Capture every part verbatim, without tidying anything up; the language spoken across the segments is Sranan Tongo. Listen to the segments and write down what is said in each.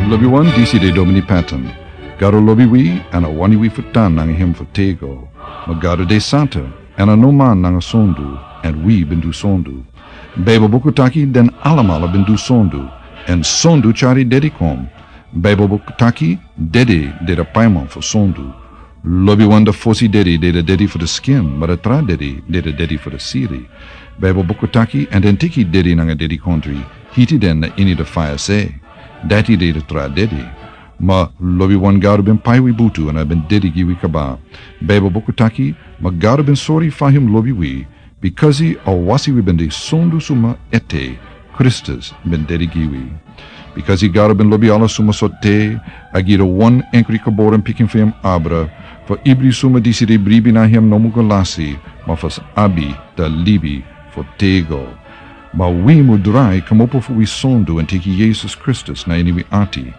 Lobi wan, disi de Domini Patton. Gado lobi wi, èn a wani wi fu tan nanga hem fu tego. Ma Gado de santa, èn a no man nanga sondu, èn wi ben du sondu. Baibel buku taki den alamala ben du sondu, èn sondu tyari dedi kon. Baibel buku taki dedi de de paiman fu sondu. Lobi wan, de fosi dedi de de dedi fu de skin, ma de tra dedi de de dedi fu de siri. Baibel buku taki, èn den teki dedi nanga dedikondri, hiti den na ini de faya se. Dati de de tra dedi. Ma lobi wan, Gado ben pai wi butu èn a ben dedi gi wi kaba. Baibel buku taki, ma Gado ben sori fa hem lobi wi, bikasi a wasi wi ben de sondu suma ete, Kristus ben dedi gi wi. Bikasi Gado ben lobi ala suma so te, a gi de wan enkri geboren pikin fu hem abra, fu ibri suma disi de bribi na hem no mu go lasi, ma fu sa abi de libi fu tego. Ma wi mu drai kmopo fu wi sondu èn teki Yesus Kristus na ini wi ati.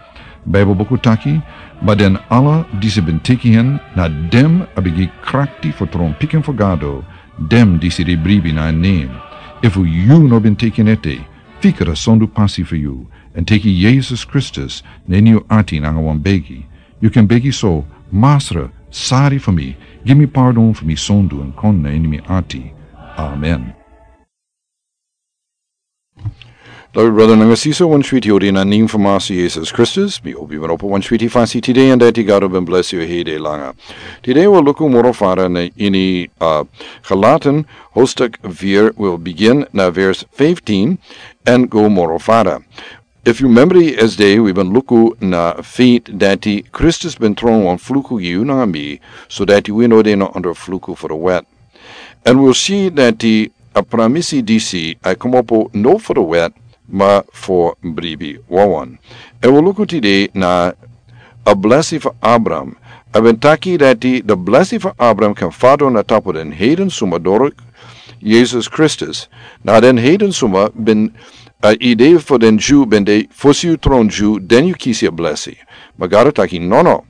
Baibel buku taki, ma den ala disi ben teki hen, na dem a ben gi krakti fu tron pikin fu Gado, dem disi de bribi na en nen. Efu yu no ben teki en ete, fikra sondu pasi fu yu, èn teki Yesus Kristus na ini yu ati nanga wan begi. Yu kan begi so, Masra, sari fu mi, gi mi pardon fu mi sondu èn kon na ini mi ati. Amen. Lobi brada nanga sisa, wan switi odi na nen fu Masra Yesus Kristus. Mi hopi wan opo wan switi fasi tide, èn dati Gado ben blesi yu hede langa. Tide wi luku moro fara na ini, uh, Galaten, hoofdstuk vier, wi begin na vers vijftien, èn go moro fara. Efu yu memori esde, wi ben luku na feit dati Kristus ben tron wan fluku gi yu nanga mi, so dati wi no de na onder fluku fu de wet. Èn wi si dati a pramisi disi a kmopo no fu de wet, ma fu bribi wawan. Èn wi luku tide na a blesi fu Abraham. A ben taki dati de blesi fu Abraham kan fadon na tapu den heiden suma doro Yesus Kristus. Na den heiden suma ben a idea fu den Jew ben de fosi yu tron Jew, den yu kisi a blesi. Ma Gado taki, no, no.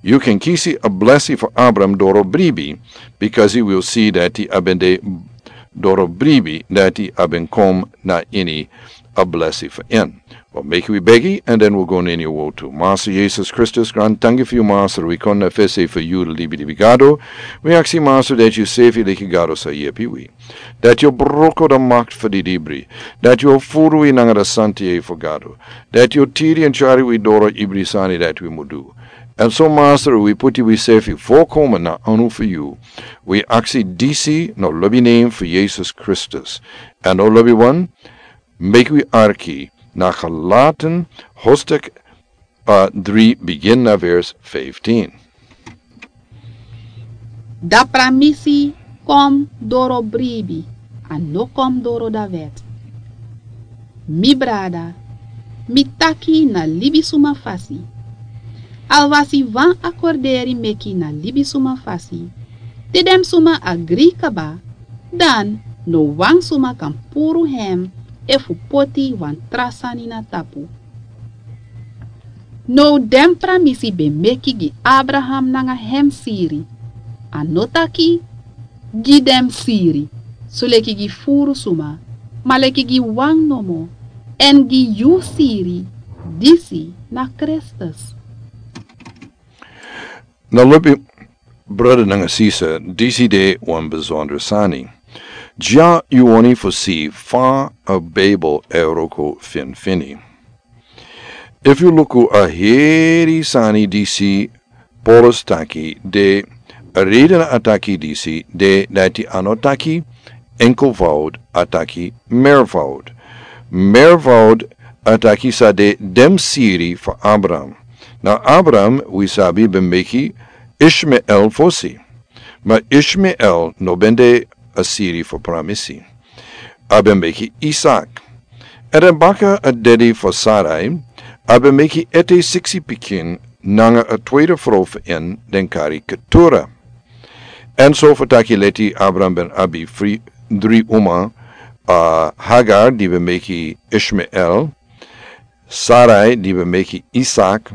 Yu kan kisi a blesi fu Abraham doro bribi, bikasi wi si dati a ben de doro bribi, dati a ben kom na ini a blesi fu en. Wi meki wi begi, èn den wi go na ini yu wotu. Masra Yesus Kristus, gran tanki fu yu Masra, wi kon na fesi fu yu libi libi Gado. Wi aksi Masra dati yu sefi leki Gado sa yepi wi. Dati yu broko de makti fu didibri. Dati yu furu wi nanga de santa yeye fu Gado. Dati yu tiri èn tyari wi doro ibri sani dati wi mu du. Èn so Masra, wi puti wi sefi volkomen na anu fu yu. Wi aksi disi na lobi nen fu Yesus Kristus. Èn na lobi wan, meki wi arki na Galaten hoofdstuk, uh, drie, begin na vers vijftien. Da pramisi kon doro bribi, a no kon doro da wet. Mi brada, mi taki na libisuma fasi. Alwasi wan akorderi meki na libisuma fasi, te den suma agri kaba, dan no wan suma kan puru hem efu poti wan tra sani na tapu. Now den pramisi ben meki gi Abraham nanga hem siri. A no taki gi den siri, soleki gi furu suma, ma leki gi wan nomo, èn gi yu siri, disi na Kristus. Na lobi brada nanga sisa, disi de wan besonder sani. Dya yu wani fu si fa a Bijbel e wroko finfini. Efu yu luku a heri sani disi Paulus taki de, a reden a taki disi de dati a no taki enkelvoud, a taki meervoud. Meervoud a taki sa de den siri fu Abraham. Now Abraham, wi sabi, ben meki Ishmael fosi. Ma Ishmael no ben de a siri fu pramisi. A ben meki Isak. Èn den baka a dedi fu Sarai, a ben meki ete siksi pikin nanga a tweede frow fu en den kari Ketura. Èn so fu taki leti Abraham ben abi fri dri uma, a Hagar di ben meki Ishmael, Sarai di ben meki Isak,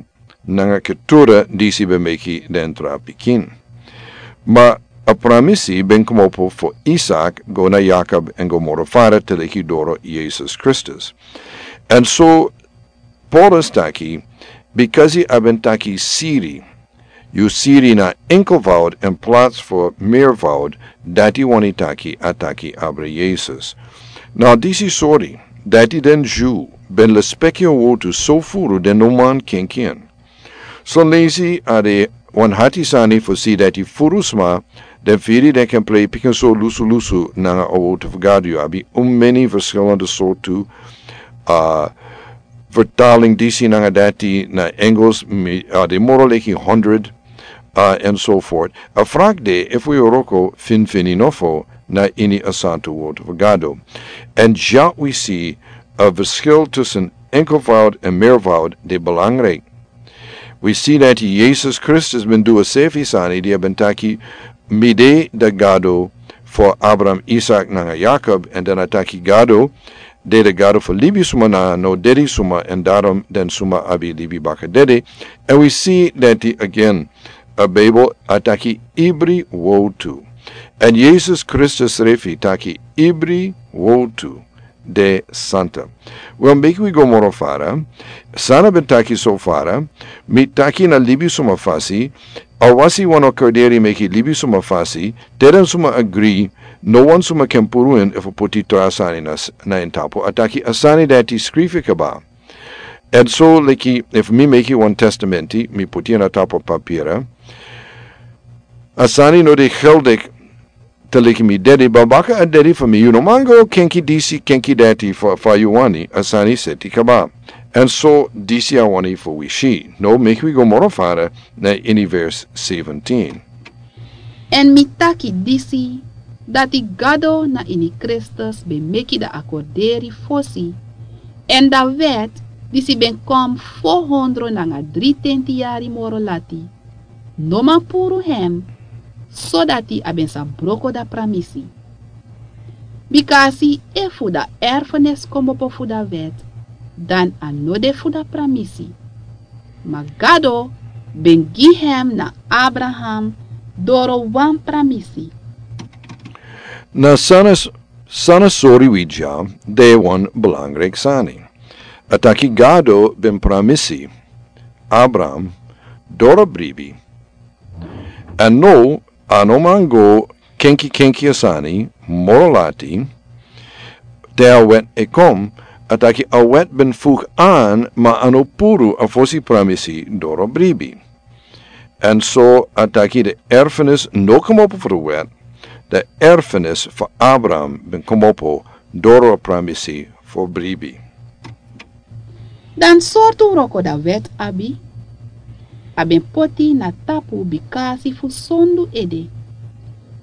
nanga Ketura disi ben meki den tra pikin. Ma a pramisi ben kmopo fu Isak go na Yakob èn go moro fara te leki doro Yesus Kristus. Èn so Paulus taki, Bikasi a ben taki siri. Yu siri na enkelvoud in plaats fu meervoud, dati wani taki a taki abra Yesus. Na disi sori, dati den Jew ben lespeki a wotu so furu den no man kenki en. Son leisi a de wan hati sani fu si dati furu sma den firi den ken plei pikin so lusu lusu nanga a wotu fu Gado. Yu abi un meni verschillende sortu a vertaling disi nanga dati na Engels, mi a de moro leki hundred, a en so fort. A frak de efu yu roko finfini nofo na ini a santu wotu fu Gado. En ja wi si a verschil tussen enkelvoud en meervoud de belangrijk. Wi si dati Yesus Kristus ben du a sefi sani di a ben taki mi de da Gado fu Abraham, Isak nanga Yakob, en dan a taki Gado de da Gado fu libi suma na no dedi suma, en darom den suma abi libi baka dedi. En wi si dati again a Bijbel a taki ibri wotu. En Yesus Kristus refi taki ibri wotu de santa. Wel, meki wi go moro fara. San a ben taki so fara, mi taki na libi suma fasi. A wasi wan o karderi meki libi suma fasi. Te den suma agri, no wan suma ken puru en efu puti tra sani na, na en tapu. A taki a sani dati skrifi kaba. En so leki efu mi meki wan testamenti mi puti en a tapu papira. A sani no de geldik te leki mi dedi, babaka a dedi fu mi, yu no man go kenki disi kenki dati fu fa yu wani, a sani seti kaba. En so disi a wani fu wi si. No, meki wi go moro fara na ini vers seventeen. En mi taki disi, dati Gado na ini Kristus ben meki da a korderi fosi. En da wet disi ben kom fo hondro nanga dri tenti yari moro lati. No man puru hem, sodati a ben sa broko da pramisi. Bikasi efu da erfenis komopo fu da wet, dan a no de fu da pramisi. Ma Gado ben gi hem na Abraham doro wan pramisi. Na san a s-, san a sori wi dya de wan belangrijk sani. A taki Gado ben pramisi Abraham doro bribi. En no, a no man go kenki kenki a sani moro lati. Te a wet e kom, a taki a wet ben fuk an, ma a no puru a fosi pramisi doro bribi. En so a taki de erfenis no komopo fu de wet, de erfenis fu Abraham ben komopo doro a pramisi fu bribi. Dan sortu wroko da wet abi? A ben poti na tapu bikasi fu sondu ede.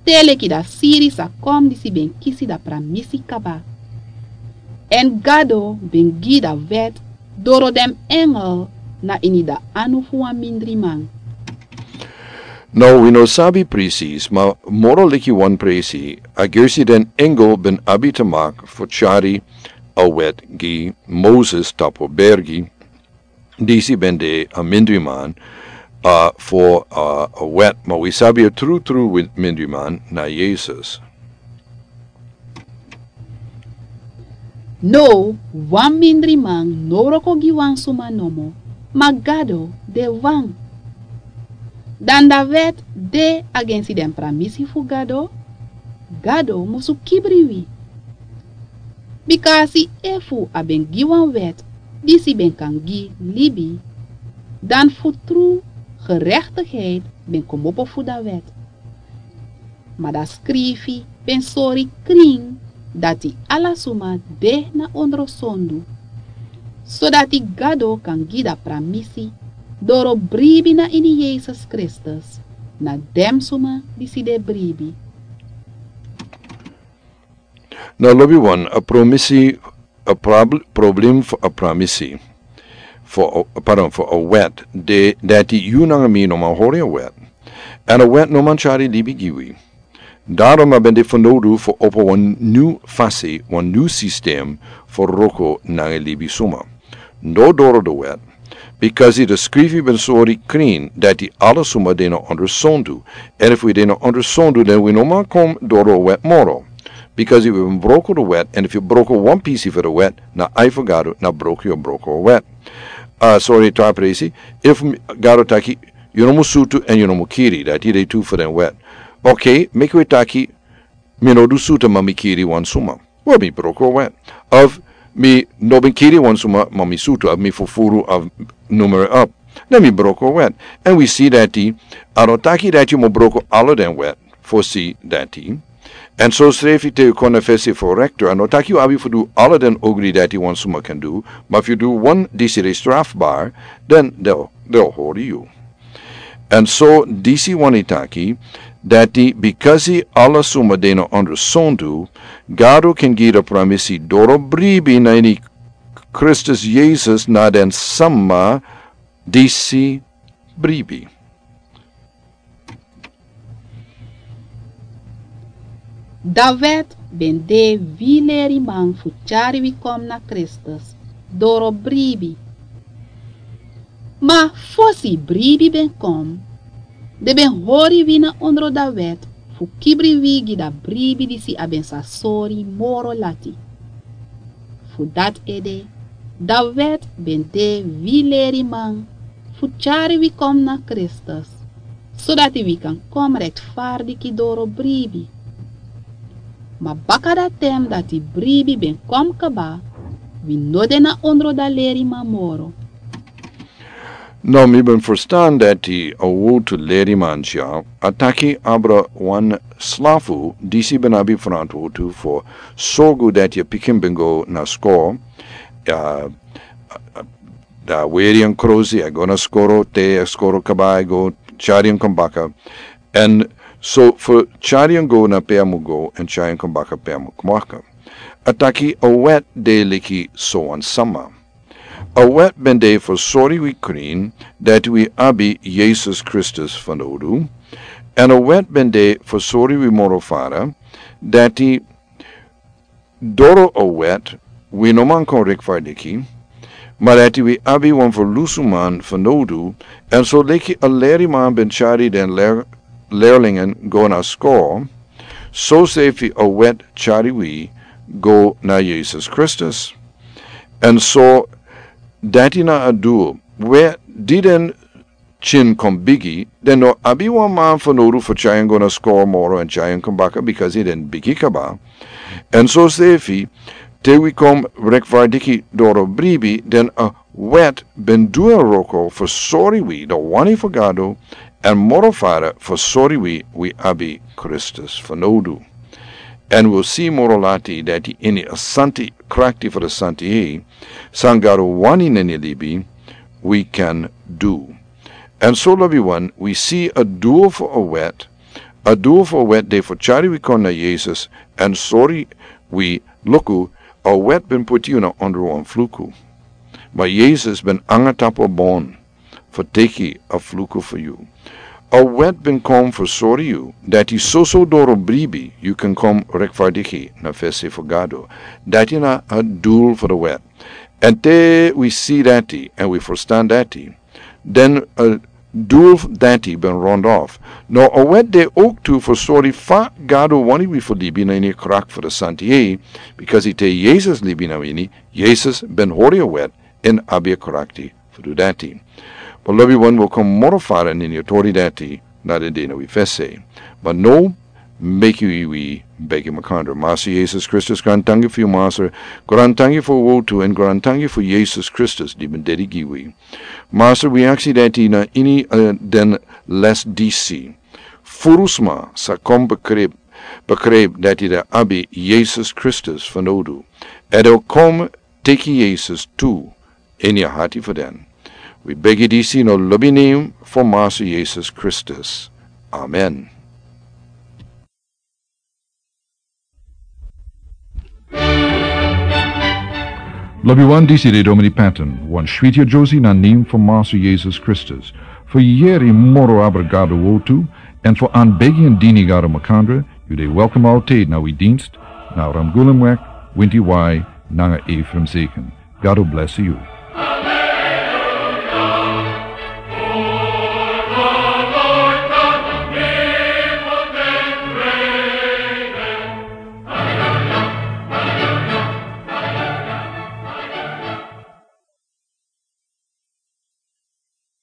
Te leki da siri sa kom disi ben kisi da pramisi kaba. En Gado ben gi da wet doro den engel na ini da anu fu wan mindri man. No, wi no sabi presis, ma moro leki wan presi, a gersi den engel ben abi te mak fu tyari a wet gi Moses tapu bergi, disi ben de a mindri man, a, fu, a, a wet, ma wi sabi a tru tru mindri man na Yesus. No, wan mindri man no wroko gi wan suma nomo, ma Gado de wan. Dan da wet de agensi den pramisi fu Gado? Gado musu kibri wi. Bikasi efu a ben gi wan wet disi ben kan gi libi, dan fu tru gerechtigheid ben komopo fu da wet. Ma da skrifi ben sori krin dati ala suma de na ondro sondu, sodati Gado kan gi da pramisi doro bribi na ini Yesus Kristus na den suma disi de bribi. Na lobi wan a promisi a prob-, problem fu a pramisi. Fu a, pardon, fu a wet. De, dati yu nanga mi no man hori a wet. En a wet no man tyari libi gi wi. Darom a ben de fanowdu fu opo wan nyun fasi, wan nyun sistem fu wroko nanga libi suma. No doro da wet. Bikasi da skrifi ben sori krin dati ala suma de na ondro sondu. En efu yu de na ondro sondu, dan wi no man kon doro a wet moro. Bikasi wi ben broko da wet, en efu yu broko wan pisi fu da wet, na ai fu Gado, na broko yu broko a wet. A sori, tra presi. Efu mi- Gado taki, yu no mus sutu èn yu no mus kiri, dati de tu fu den wet. Okei, meki wi taki, mi no du sutu ma mi kiri wan suma. Wel, mi broko wet. Of mi no ben kiri wan suma ma mi sutu, of mi fufuru, of numeri op. Dan mi broko wet. Èn wi si dati, a no taki dati yu mus broko ala den wet fosi dati. Èn so srefi te yu kon na fesi fu rektor, a no taki yu abi fu du ala den ogri dati wan suma kan du, ma efu yu du wan disi de strafbar, dan den o- den o hori yu. Èn so disi wani taki, dati bikasi ala suma de na ondersondu, Gado kan gi den pramisi doro bribi na ini Kristus Yesus na den sama disi bribi. Dawet ben de wi leriman fu tyari wi kon na Kristus doro bribi. Ma fosi bribi ben kon, den ben hori wi na ondro Dawet fu kibri wi gi da bribi disi a ben sa sori moro lati. Fu dati ede, Dawet ben de wi leriman fu tyari wi kon na Kristus, sodati wi kan kon rektfardiki doro bribi. Ma baka da ten dati bribi ben kon kaba, wi no de na ondro da leriman moro. No, mi ben ferstan dati a wowtu leriman dya a taki abra wan slafu disi ben abi frantwortu fu sorgu dati a pikin ben go na skoro. A, a, a, da weri en krosi, a go na skoro, te a skoro kaba, a go tyari en kon baka. Èn so fu tyari en go na pe a mus go, èn tyari en kon baka pe a mus kon baka. A taki a wet de leki so wan sama. A wet ben de fu sori wi krin dati wi abi Yesus Kristus fanowdu. Èn a wet ben de fu sori wi moro fara dati doro a wet wi no man kon rektfardiki, ma dati wi abi wan ferlusuman fanowdu. Èn so leki a leriman ben tyari den ler- lerlingen go na skoro, so srefi a wet tyari wi go na Yesus Kristus. Èn so dati na a dul we di den tyin kon bigi, den no abi wan man fanowdu fu tyari en go na skoro moro èn tyari en kon baka, bikasi den bigi kaba. Èn so srefi, te wi kon rektfardiki doro bribi, den a wet ben du en wroko fu sori wi da wani fu Gado, èn moro fara fu sori wi wi abi Kristus fanowdu. Èn wi si moro lati dati ini a santi krakti fu da santi hei, san Gado wani na ini libi, wi kan du. Èn so lobiwan, wi si a dul fu a wet, a dul fu a wet de fu tyari wi kon na Yesus, èn sori wi, luku, a wet ben puti yu na ondro wan fluku. Ma Yesus ben nanga tapu a bon fu teki a fluku fu yu. A wet ben kon fu sori yu dati soso doro bribi yu kan kon rektfardiki na fesi fu Gado. Dati na a dul fu da wet. Èn te wi si dati, èn wi ferstan dati, den a dul dati ben rond of. No, a wet de owktu fu sori fa Gado wani wi fu libi na ini krakti fu da santi hei, bikasi te Yesus libi na ini, Yesus ben hori a wet èn abi a krakti fu du dati. But lobiwan, wi o kon moro fara na ini a tori dati na den dei na wi fesi. But now, meki wi begi makandra. Masra Yesus Kristus, grantangi fu yu, Masra. Grantangi fu a wowtu, èn grantangi fu Yesus Kristus di ben dede gi wi. Masra, wi aksi dati na ini, eh, den les disi. Furu sma sa kon begrijp, begrijp dati den abi Yesus Kristus fanowdu. Èn den o kon teki Yesus tu ini a hati fu den. Wi begi disi na lobi nen fu Masra Yesus Kristus. Amen. Lobiwan, disi de Domini Patton, wan switi a Josie na nen fu Masra Yesus Kristus. Fu yere moro abra Gado wowtu, èn fu anbegi èn dini Gado makandra, yu de welkom altijd na wi dienst, na Ramgulemweg, Winti Wai, nanga Ephraim Zeken. Gado blesi yu.